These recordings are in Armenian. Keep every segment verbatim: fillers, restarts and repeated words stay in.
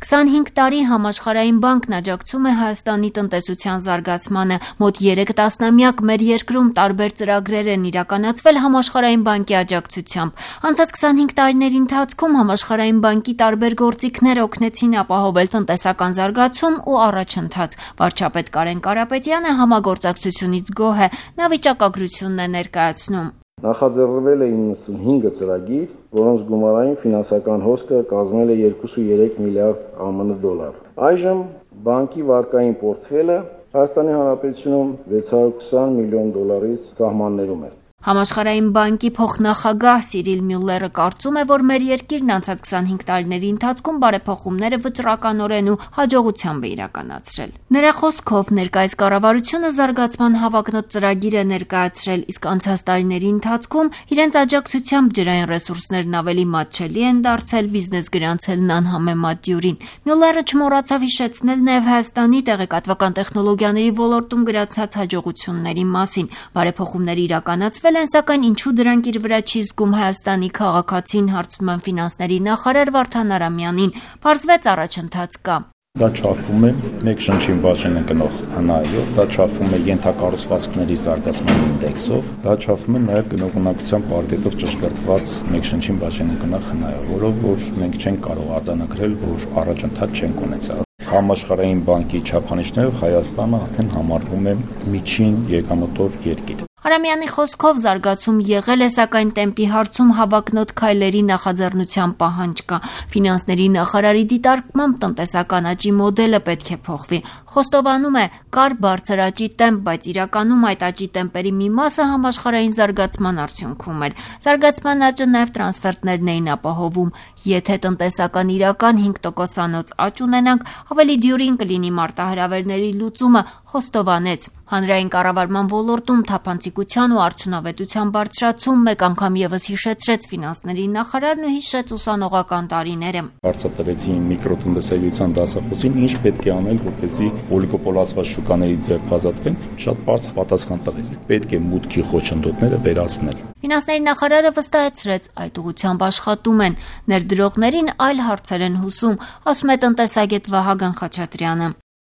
քսանհինգ տարի Համաշխարհային բանկն աջակցում է Հայաստանի տնտեսության զարգացմանը։ Մոտ երեք տասնամյակ մեր երկրում տարբեր ծրագրեր են իրականացվել Համաշխարհային բանկի աջակցությամբ։ Անցած քսանհինգ տարիների ընթացքում Համաշխարհային բանկի տարբեր գործիքներ օգնեցին ապահովել տնտեսական զարգացում ու առաջընթաց։ Վարչապետ Կարեն Կարապետյանը համագործակցությունից գոհ է, նա վիճակագրությունն է ներկայացնում։ Նախաձեռնվել է իննսունհինգ ծրագիր, որոնց գումարային ֆինանսական հոսքը կազմել է երկուսուերեք միլիարդ ԱՄՆ դոլար։ Այժմ բանկի վարկային պորտֆելը Հայաստանի Հանրապետությունում վեց հարյուր քսան միլիոն դոլարից սահմաններում է։ Համաշխարհային բանկի փոխնախագահ Սիրիլ Մյուլլերը կարծում է, որ մեր երկիրն անցած քսանհինգ տարիների ընթացքում բարեփոխումները վճռականորեն ու հաջողությամբ է իրականացրել։ Նրա խոսքով ներկայիս կառավարությունը զարգացման հավակնոտ ծրագիր է ներկայացրել, իսկ անցած տարիների ընթացքում իրենց աջակցությամբ ջրային ռեսուրսներն ավելի մատչելի են դարձել, բիզնես գրանցելն անհամեմատ դյուրին։ Մյուլլերը չմոռացավ հիշեցնել նաև Հայաստանի տեղեկատվական տեխնոլոգիաների ոլորտում գրացած հաջողությունների մասին։ Բարեփոխումները իրականացվել են, սակայն ինչու դրանք իր վրա չի զգում Հայաստանի քաղաքացին, հարցնում են ֆինանսների նախարար Վարդան Արամյանին։ Պարզվեց առաջընթաց կա։ Դա չափվում է մեկ շնչին բաժին ընկնող հնայով, դա չափվում է ենթակառուցվածքների զարգացման ինդեքսով, դա չափվում է նաև գնողունակության պարկետով ճշգրտված մեկ շնչին բաժին ընկնող հնայով, որով որ մենք չենք կարող արձանագրել, որ առաջընթաց չենք ունեցել։ Համաշխարհային բանկի չափանիշներով Հայաստանը արդեն համարվում է միջին եկամտով երկիր։ Արամյանի խոսքով զարգացում եղել է, սակայն տեմպի հարցում հավակնոտ քայլերի նախաձեռնության պահանջ կա։ Ֆինանսների նախարարի դիտարկմամբ տնտեսական աճի մոդելը պետք է փոխվի։ Խոստովանում է, կար բարձր աճի տեմպ, բայց իրականում այդ աճի տեմպերի մի մասը համաշխարհային զարգացման արդյունքում էր։ Զարգացման աճը նաև տրանսֆերտներն էին ապահովում։ Եթե տնտեսական իրական հինգ տոկոսանոց աճ ունենանք, ավելի դյուրին կլինի մարտահրավերների լուծումը, խոստովանեց։ Հանրային կառավարման ոլորտում թափանցիկության ու արդյունավետության բարձրացում մեկ անգամ եւս հիշեցրեց ֆինանսների նախարարն ու հիշեց ուսանողական տարիները։ Բարձրացրեցին միկրոտնտեսագիտության դասախոսին, ինչ պետք է անել, որպեսզի օլիգոպոլացված շուկաներից ձերբազատվեն, շատ բարձր պատասխան տվեց։ Պետք է մուտքի խոչընդոտները վերացնել։ Ֆինանսների նախարարը վստահեցրեց, այդ ուղղությամբ աշխատում են։ Ներդրողներին այլ հարցեր են հուսում, ասում է տնտեսագետ Վահագն Խաչատրյանը։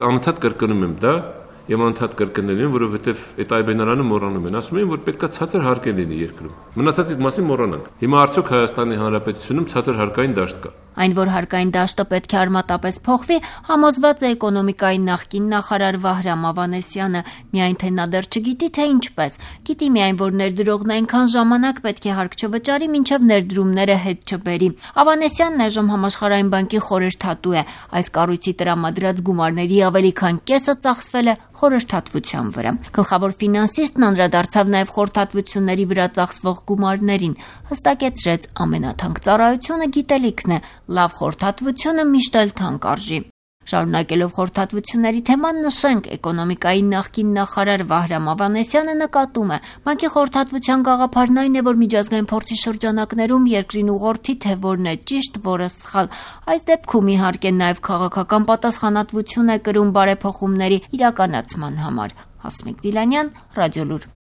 Անընդհատ կրկնում եմ դա, Եմ անդադ կրկնելին, որովհետև այդ այբենարանը մոռանում են։ Ասում են, որ պետքա ցածր հարկեր լինի երկրում։ Մնացածի մասին մոռանանք։ Հիմա արդյոք Հայաստանի Հանրապետությունում ցածր հարկային դաշտ կա։ Այն, որ հարկային դաշտը պետք է արմատապես փոխվի, համոզված է էկոնոմիկայի նախկին նախարար Վահրամ Ավանեսյանը, միայն թե նա դեռ չգիտի, թե ինչպես։ Գիտի միայն, որ ներդրողն այնքան ժամանակ պետք է հարկ չվճարի, մինչև ներդրումները հետ չբերի։ Ավանեսյանն այժմ Համաշխարհային բանկի խորհրդատու է։ Այս կառույցի տրամադրած գումարների ավելի քան կեսը ծախսվել է խորհրդատվության վրա։ Գլխավոր ֆինանսիստն անդրադարձավ նաև խորհրդատվությունների վրա ծախսվող գումարներին, հստակեցրեց ամենաթանկ ծառայությունը գիտելիքն է, լավ խորհրդատվությունը միշտ էլ թանկ արժի։ Շարունակելով խորհրդատվությունների թեման նշենք, էկոնոմիկայի նախկին նախարար Վահրամ Ավանեսյանը նկատում է, բանկի խորհրդատվության գաղափարն այն է, որ միջազգային փորձի շրջանակներում երկրին ուղղորդի, թե որն է ճիշտ, որը սխալ։ Այս դեպքում իհարկե նաև քաղաքական պատասխանատվություն է կրում բարեփոխումների իրականացման համար։ Հասմիկ Դիլանյան, Ռադիոլուր։